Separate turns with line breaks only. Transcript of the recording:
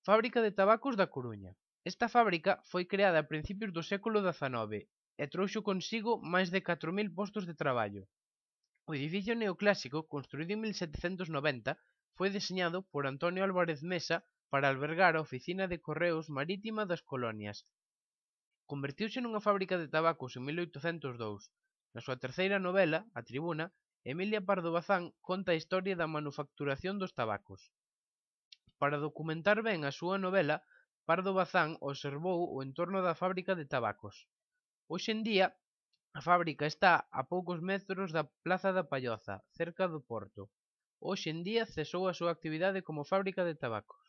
Fábrica de tabacos da Coruña. Esta fábrica foi creada a principios do século XIX e trouxo consigo máis de 4000 postos de traballo. O edificio neoclásico, construído en 1790, foi deseñado por Antonio Álvarez Mesa para albergar a oficina de correos marítima das colonias. Convertiuse nunha fábrica de tabacos en 1802. Na súa terceira novela, A Tribuna, Emilia Pardo Bazán conta a historia da manufacturación dos tabacos. Para documentar ben a súa novela, Pardo Bazán observou o entorno da fábrica de tabacos. Hoxe en día, a fábrica está a poucos metros da Praza da Palloza, cerca do porto. Hoxe en día cesou a súa actividade como fábrica de tabacos.